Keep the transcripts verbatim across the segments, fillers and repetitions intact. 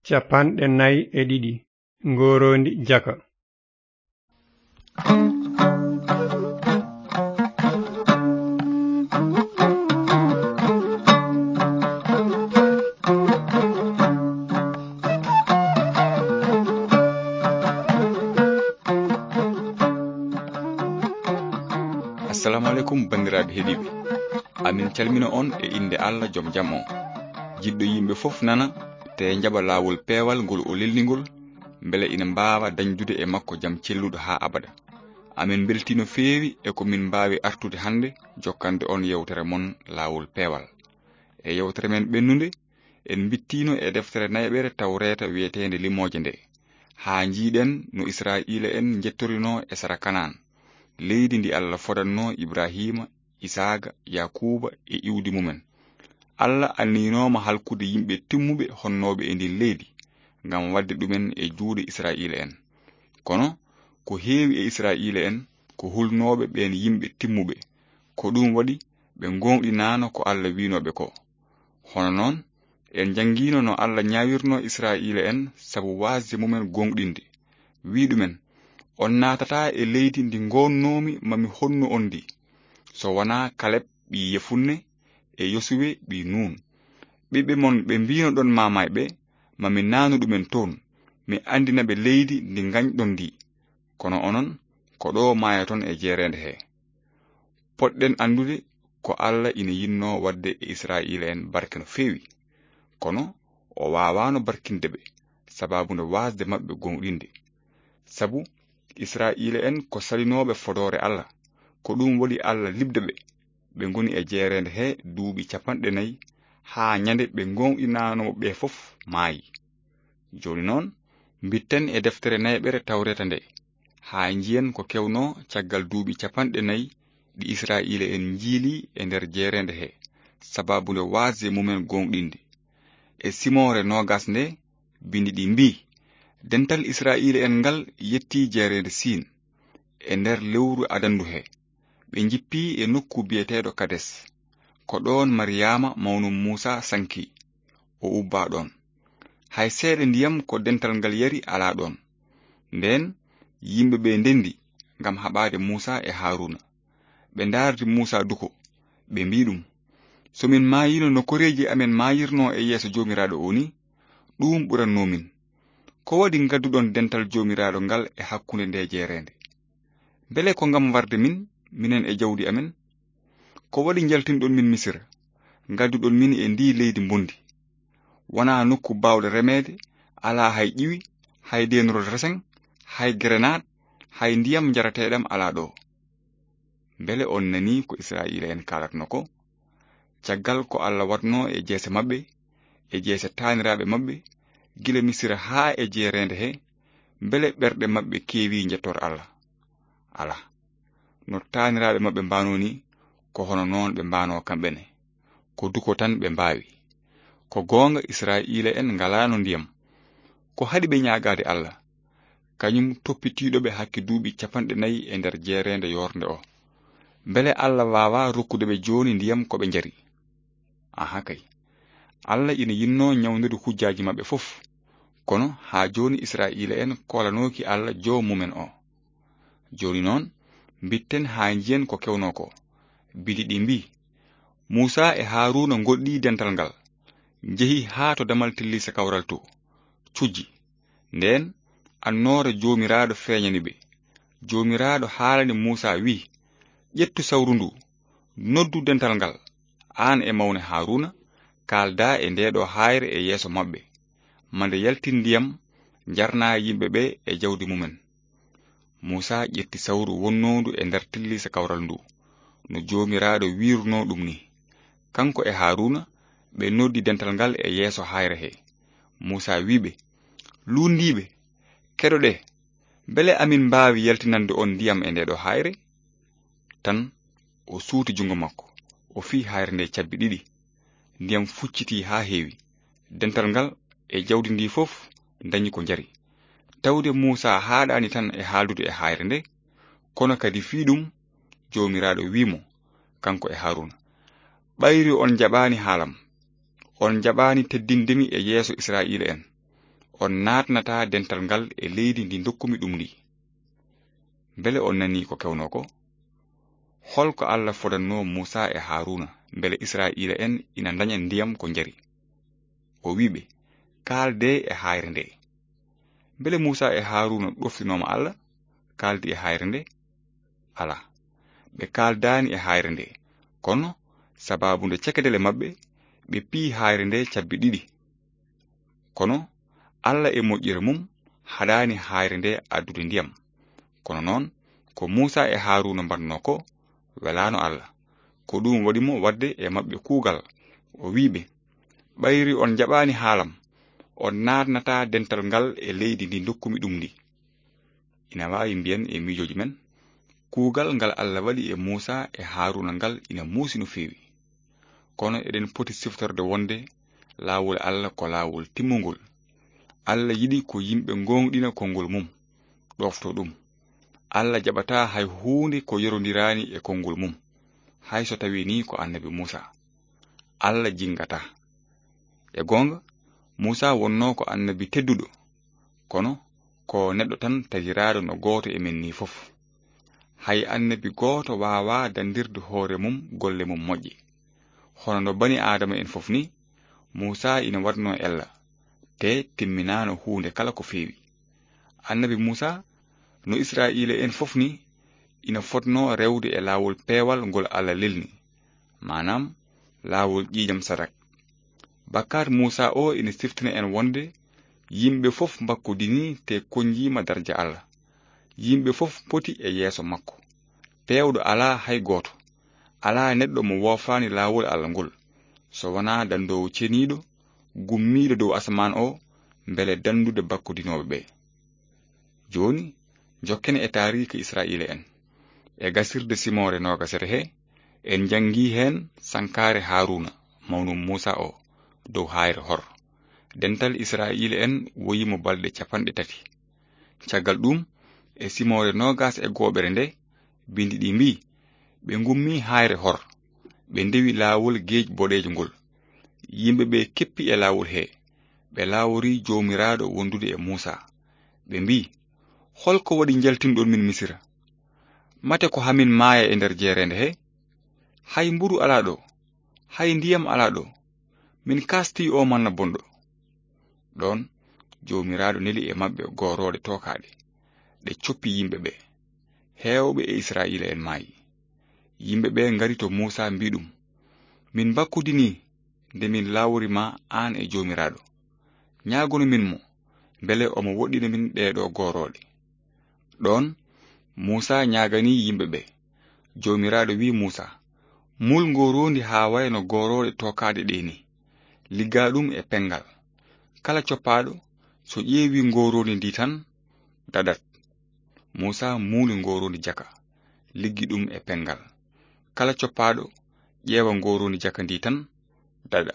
Capanɗe nayi e ɗiɗi, ngooroondi jaka. Assalamu aleykum, banndiraaɓe heɗiiɓe. Amin calmina on e innde Allah jom jam on. Jiɗɗo yimɓe fof nana, te njaɓa laawol peewal ngol o lelni ngol, mbele ina mbaawa dañdude e makko jam celluɗo haa abada. Amin mbeltii no feewi e ko min mbaawi artude hannde jokkande on yewtere mon laawol peewal. E yewtere men ɓennunde, en mbittiino e deftere nayɓere Tawreeta wiyeteende Limooje nde, haa njiiɗen no Israa'iila en njettorinoo e sara Kanaan, leydi ndi Allah fodanno Ibrahiima, Isaaqa, Yaakuuba e iwdi mumen. Allah anniyinooma halkude yimɓe timmuɓe honnooɓe e ndin leydi, ngam waɗde ɗumen e juuɗe Israa'iila en. Kono ko heewi e Israa'iila en ko hulnooɓe ɓeen yimɓe timmuɓe. Ko ɗum waɗi ɓe ngooŋɗinaano ko Allah wiinooɓe ko. Hono noon, en njanngiino no Allah ñaawirnoo Israa'iila en sabu waasde mumen gooŋɗinde. Wii ɗumen, "On naatataa e leydi ndi ngoonnoomi ma mi honnu on ndi, so wanaa Kaleb ɓii Yefunne e Yosuwe ɓii Nuun. Ɓiɓɓe mon ɓe mbiinoɗon maamay ɓe, ma mi naanu ɗumen toon, mi anndina ɓe leydi ndi ngañɗon ndi. Kono onon, ko ɗo maayaton e jeereende he." Poɗɗen anndude ko Allah ina yinnoo waɗde e Israa'iila en barke no feewi, kono o waawaano barkinde ɓe, sababu nde waasde maɓɓe gooŋɗinde. Sabu Israa'iila en ko salinooɓe fodoore Allah, ko ɗum waɗi Allah liɓde ɓe. Ɓe ngoni e jeereende he duuɓi capanɗe nayi, haa ñande ɓe gooŋɗinaanoo ɓe fof maayi. Jooni noon, mbitten e deftere nayɓere Tawreeta nde, haa njiyen ko kewnoo caggal duuɓi capanɗe nayi ɗi Israa'iila en njiili e nder jeereende he, sababu nde waasde mumen gooŋɗinde. E simoore noogas nde, bindi ɗi mbii, "Dental Israa'iila en ngal yettii jeereende Siin, e nder lewru adanndu he. Ɓe njippii e nokku biyeteeɗo Kades. Ko ɗoon Mariyaama mawnum Muusaa sankii, o ubbaa ɗoon. Hay seeɗa ndiyam ko dental ngal yari alaa ɗoon." Ndeen, yimɓe ɓe ndenndi ngam haɓaade Muusaa e Haaruuna. Ɓe ndaardi Muusaa duko, ɓe mbii ɗum, "So min maayiino no koreeji amen maayirnoo e yeeso Joomiraaɗo o ni, ɗuum ɓurannoo min. Ko waɗi ngadduɗon dental Joomiraaɗo ngal e hakkunde nde jeereende? Mbele ko ngam warde min, minen e jawdi amen? Ko waɗi njaltinɗon min Misira, ngadduɗon min e ndii leydi mbondi? Wonaa nokku baawɗo remeede, alaa hay ƴiwi, hay deenorol resen, hay gerenaat, hay ndiyam njarateeɗam alaa ɗo." Mbele on nanii ko Israa'iila en kaalatno ko? Caggal ko Allah waɗnoo e jeese maɓɓe, e jeese taaniraaɓe maɓɓe, gila Misira haa e jeereende he, mbele ɓerɗe maɓɓe keewii njettoor Allah? Alaa. No taaniraaɓe maɓɓe mbaanoo ni, ko hono noon ɓe mbaanoo kamɓe ne. Ko duko tan ɓe mbaawi. Ko goonga, Israa'iila en ngalaano ndiyam. Ko haɗi ɓe ñaagaade Allah, kañum toppitiiɗo ɓe hakke duuɓi capanɗe nayi e nder jeereende yoornde o? Mbele Allah waawaa rokkude ɓe jooni ndiyam ko ɓe njari? Aha kay. Allah ina yinnoo ñawndude hujjaaji maɓɓe fof. Kono haa jooni Israa'iila en koolanooki Allah Joom mumen o. Jooni noon, mbitten haa njiyen ko kewnoo ko. Bindi ɗi mbii, "Muusaa e Haaruuna ngoɗɗii dental ngal, njehi haa to damal tilliisa kawral to, cujji. Ndeen, annoora Joomiraaɗo feeñani ɓe. Joomiraaɗo haalani Muusaa, wii, 'Ƴettu sawru ndu, noddu dental ngal, aan e mawne Haaruuna, kaaldaa e ndee ɗoo haayre e yeeso maɓɓe, ma nde yaltin ndiyam, njarnaa yimɓe ɓe e jawdi mumen.'" Muusaa ƴetti sawru wonnoondu e nder tilliisa kawral ndu, no Joomiraaɗo wiirunoo ɗum ni. Kanko e Haaruuna, ɓe noddi dental ngal e yeeso haayre he. Muusaa wii ɓe, "Luunndiiɓe, keɗoɗee, mbele amin mbaawi yaltinande on ndiyam e ndee ɗoo haayre?" Tan o suuti junngo makko, o fiyi haayre nde cabbi ɗiɗi. Ndiyam fuccitii haa heewi. Dental ngal e jawdi ndi fof ndañi ko njari. Tawde Muusaa haaɗaani tan e haaldude e haayre nde, kono kadi fii ɗum, Joomiraaɗo wii mo, kanko e Haaruuna, "Ɓayri on njaɓaani haalam, on njaɓaani teddinde mi e yeeso Israa'iila en. On naatnataa dental ngal e leydi ndi ndokkumi ɗum ndi. Mbele on nanii ko kewnoo ko? Hol ko Allah fodannoo Muusaa e Haaruuna mbele Israa'iila'en ina ndaña ndiyam ko njari? O wi'i ɓe, "Kaaldee e haayre ndee." Mbele Muusaa e Haaruuna ɗoftinooma Allah, kaaldi e haayre ndee? Alaa, ɓe kaaldaani e haayre ndee. Kono, sabaabu nde cekedele maɓɓe, ɓe piyi haayre ndee cabbi ɗiɗi. Kono, Allah e moƴƴere mum haɗaani haayre ndee addude ndiyam. Kono noon, ko Muusaa e Haaruuna mbaɗnoo ko, welaano Allah. Ko ɗum waɗi mo waɗde e maɓɓe kuugal. O wi'i ɓe, "Ɓayri on njaɓaani haalam, on naatnataa dental ngal e leydi ndi ndokkumi ɗum ndi." Ina waawi mbiyen e miijooji men, kuugal ngal Allah waɗi e Muusaa e Haaruuna ngal ina muusi no feewi. Kono eɗen poti siftorde wonde laawol Allah ko laawol timmungol. Allah yiɗi ko yimɓe ngooŋɗina konngol mum, ɗoofto ɗum. Allah jaɓataa hay huunde ko yorondiraani e konngol mum, hay so tawii ni ko annabi Muusaa. Allah jinngataa. E goonga, Muusaa wonnoo ko annabi tedduɗo, kono ko neɗɗo tan tadiraaɗo no gooto e men ni fof. Hay annabi gooto waawaa dandirde hoore mum golle mum moƴƴe. Hono no bani Aadama en fof ni, Muusaa ina waɗnoo ella, te timminaano huunde kala ko feewi. Annabi Muusaa, no Israa'iila en fof ni, ina fotnoo rewde e laawol peewal ngol Allah lelni, maanaam laawol ƴiiƴam sadak. Bakkaat Muusaa o ina siftina en wonde yimɓe fof mbakkodinii te konnjiima darja Allah. Yimɓe fof poti e yeeso makko. Peewɗo alaa hay gooto. Alaa neɗɗo mo woofaani laawol Allah ngol, so wonaa danndoowo ceniiɗo, gummiiɗo dow asamaan o, mbele danndude bakkodinooɓe ɓe. Jooni, njokken e taariika Israa'iila en. E gasirde simoore noogasere he, en njanngii heen sankaare Haaruuna, mawnu Muusaa o, dow haayre Hor. Dental Israa'iila en woyi mo balɗe capanɗe tati. Caggal ɗum, e simoore noogas e gooɓere nde, binndi ɗi mbii, "Ɓe ngummi haayre Hor, ɓe ndewi laawol geej boɗeejo ngol. Yimɓe ɓe keppi e laawol he, ɓe laawori Joomiraaɗo wondude e Muusaa. Ɓe mbii, 'Hol ko waɗi njaltinɗon min Misira? Mate ko hamin maaya e nder jeereende he? Hay mburu alaa ɗo, hay ndiyam alaa ɗo. Min kaastii o manna bonɗo.'" Ɗoon, Joomiraaɗo neli e maɓɓe goorooɗe tookaaɗe, ɗe coppi yimɓe ɓe. Heewɓe e Israa'iila en maayi. Yimɓe ɓe ngari to Muusaa, mbii ɗum, "Min mbakkodinii nde min laawori ma aan e Joomiraaɗo. Ñaagono min mo, mbele omo woɗɗina min ɗee ɗoo goorooɗe." Ɗoon, Muusaa ñaaganii yimɓe ɓe. Joomiraaɗo wi'i Muusaa, "Muul ngooroondi haa wayno goorooɗe tookaaɗe ɗee ni. Liggaa ɗum e penngal. Kala coppaaɗo, so ƴeewii ngooroondi ndi tan, daɗat." Muusaa muuli ngooroondi jaka, liggi ɗum e penngal. Kala coppaaɗo, ƴeewa ngooroondi jaka ndi tan, daɗa.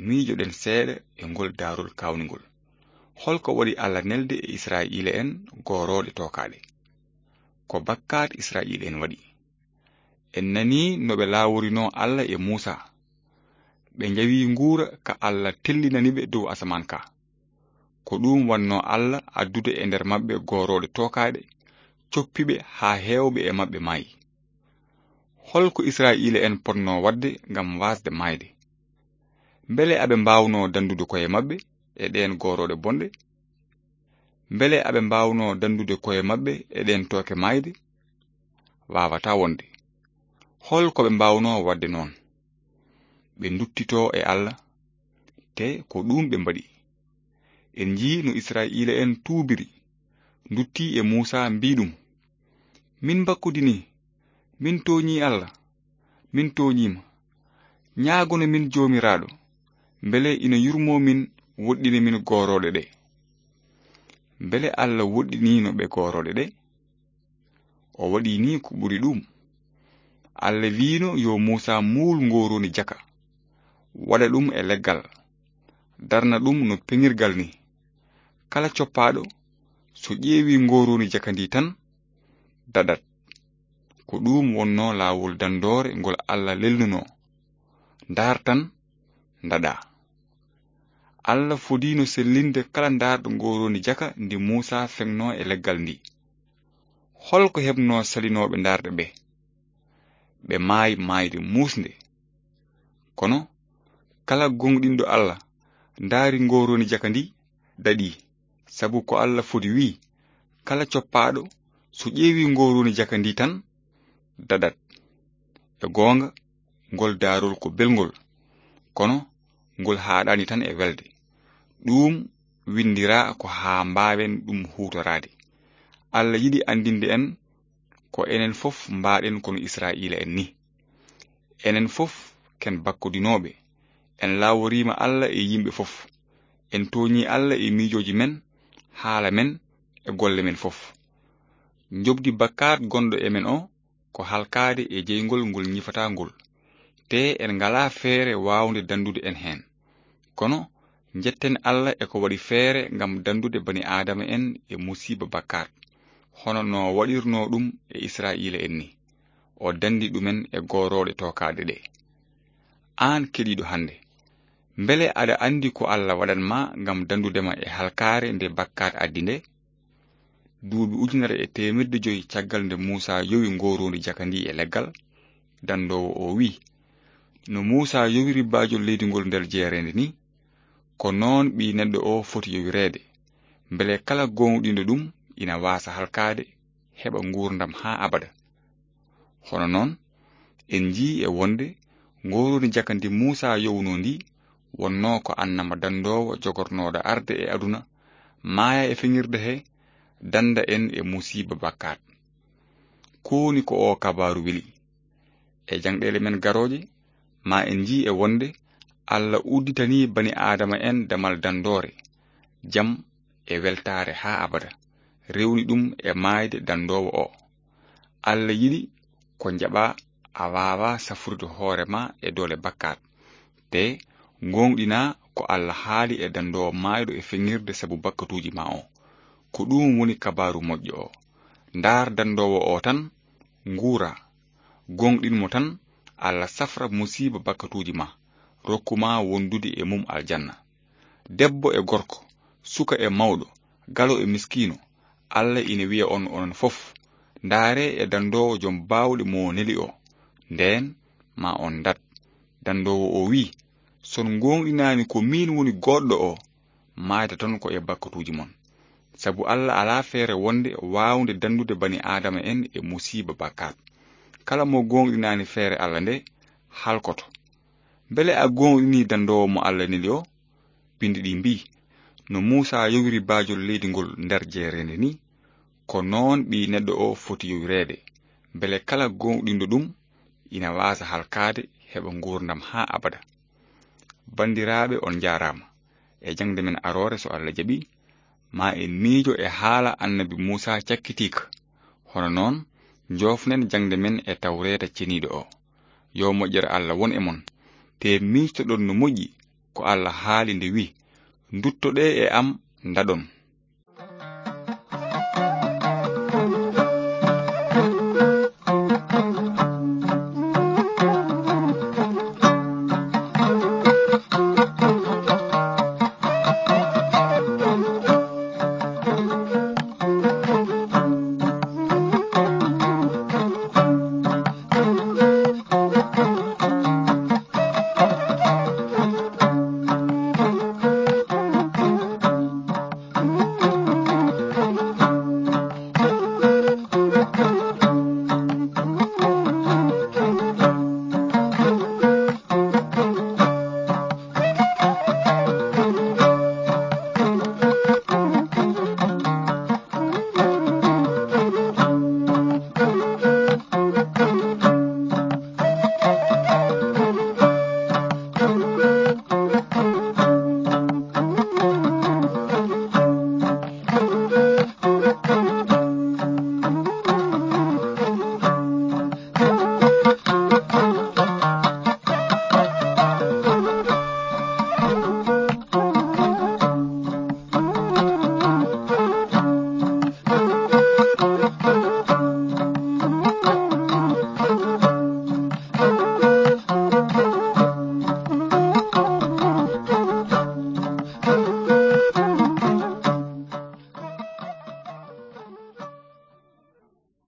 Miijoɗen seeɗa e ngol daarol kaawningol. Hol ko waɗi Allah nelde e Israa'iila en goorooɗe tookaaɗe? Ko bakkaat Israa'iila en waɗi. En nanii no ɓe laaworinoo Allah e Muusaa. Ɓe njawi nguura ka Allah tellinani ɓe dow asamaan ka. Ko ɗum wannoo Allah addude e nder maɓɓe goorooɗe tookaaɗe, coppi ɓe haa heewɓe e maɓɓe maayi. Hol ko Israa'iila en potnoo waɗde ngam waasde maayde? Mbele aɓe mbaawnoo danndude koye maɓɓe e ɗeen goorooɗe bonɗe? Mbele aɓe mbaawnoo danndude koye maɓɓe e ɗeen tooke maayde? Waawataa wonde. Hol ko ɓe mbaawnoo waɗde noon? Ɓe nduttitoo e Allah, te ko ɗum ɓe mbaɗi. En njii no Israa'iila en tuubiri, nduttii e Muusaa, mbii ɗum, "Min mbakkodinii, min tooñii Allah, min tooñiima. Ñaagono min Joomiraaɗo, mbele ina yurmoo min, woɗɗina min goorooɗe ɗe." Mbele Allah woɗɗiniino ɓe goorooɗe ɗe? O waɗi nii ko ɓuri ɗum. Allah wiino yo Muusaa muul ngooroondi jaka, waɗa ɗum e leggal, darna ɗum no peŋirgal ni. Kala coppaaɗo, so ƴeewi ngooroondi jaka ndi tan, daɗat. Ko ɗum wonnoo laawol danndoore ngol Allah lelnunoo. Ndaar tan, ndaɗaa. Allah fodiino sellinde kala ndaarɗo ngooroondi jaka ndi Muusaa feŋnoo e leggal ndi. Hol ko heɓnoo salinooɓe ndaarɗe ɓe? Ɓe maayi maayde muusnde. Kono kala gooŋɗinɗo Allah ndaari ngooroondi jaka ndi, daɗii, sabu ko Allah fodi wi'i, kala coppaaɗo so ƴeewii ngooroondi jaka ndi tan, daɗat. E goonga, ngol daarol ko belngol, kono ngol haaɗaani tan e welde. Ɗum winndiraa ko haa mbaawen ɗum huutoraade. Allah yiɗi anndinde en ko enen fof mbaaɗen kono Israa'iila en ni. Enen fof ken bakkodinooɓe. En laaworiima Allah e yimɓe fof. En tooñii Allah e miijooji men, haala men, e golle men fof. Njoɓdi bakkaat gonɗo e men o ko halkaade e jeyngol ngol ñifataa ngol. Te en ngalaa feere waawnde danndude en heen. Kono njetten Allah e ko waɗi feere ngam danndude bani Aadama en e musiiba bakkaat, hono no waɗirnoo ɗum e Israa'iila en ni. O danndi ɗumen e goorooɗe tookaaɗe ɗe. Aan keɗiiɗo hannde, mbele aɗa anndi ko Allah waɗan ma ngam danndude ma e halkaare nde bakkaat addi nde? Duuɓi ujunere e teemerɗe jowi caggal nde Muusaa yowi ngooroondi jaka ndi e leggal, danndoowo o wi'i, no Muusaa yowiri baajol leydi ngol nder jeereende ni, ko noon Ɓii Neɗɗo o foti yowireede, mbele kala gooŋɗinɗo ɗum ina waasa halkaade, heɓa nguurndam haa abada. Hono noon, en njii e wonde ngooroondi jaka ndi Muusaa yowunoo ndi wonnoo ko annama danndoowo jogornooɗo arde e aduna, maaya e feŋirde he, dannda en e musiiba bakkaat. Ko woni ko oo kabaaru weli? E jaŋɗeele men garooje, ma en njii e wonde Allah udditanii bani Aadama en damal danndoore, jam e weltaare haa abada, rewni ɗum e maayde danndoowo o. Allah yiɗi ko njaɓaa a waawaa safrude hoore ma e doole bakkaat, te ngooŋɗinaa ko Allah haali e danndoowo maayɗo e feŋirde sabu bakkatuuji ma o. Ko ɗum woni kabaaru moƴƴo o. Ndaar danndoowo o tan, nguura. Gooŋɗin mo tan, Allah safra musiiba bakkatuuji ma, rokku ma wondude e mum aljanna. Debbo e gorko, suka e mawɗo, galo e miskiino, Allah ina wiya on onon fof, ndaaree e danndoowo jom baawɗe mo neli o. Ndeen ma on ndaat. Danndoowo o wi'i, son ngooŋɗinaani ko miin woni goodɗo o, maayde ton ko e bakkatuuji mon. Sabu Allah alaa feere wonde waawnde danndude bani Aadama en e musiiba bakkaat. Kala mo gooŋɗinaani feere Allah nde, halkoto. Mbele a gooŋɗinii danndoowo mo Allah neli o? Binndi ɗi mbii, no Muusaa yowiri baajol leydi ngol nder jeereende ni, ko noon Ɓii Neɗɗo o foti yowireede, mbele kala gooŋɗinɗo ɗum ina waasa halkaade, heɓa nguurndam haa abada. Banndiraaɓe, on njaaraama. E jaŋde men aroore, so Allah jaɓii, ma en miijo e haala Annabi Muusaa cakkitiika. Hono noon, njoofnen jaŋde men e Tawreeta Ceniiɗo o. Yo moƴƴere Allah won e mon. Te miijtoɗon no moƴƴi ko Allah haali nde wi'i, nduttoɗee e am, ndaɗon.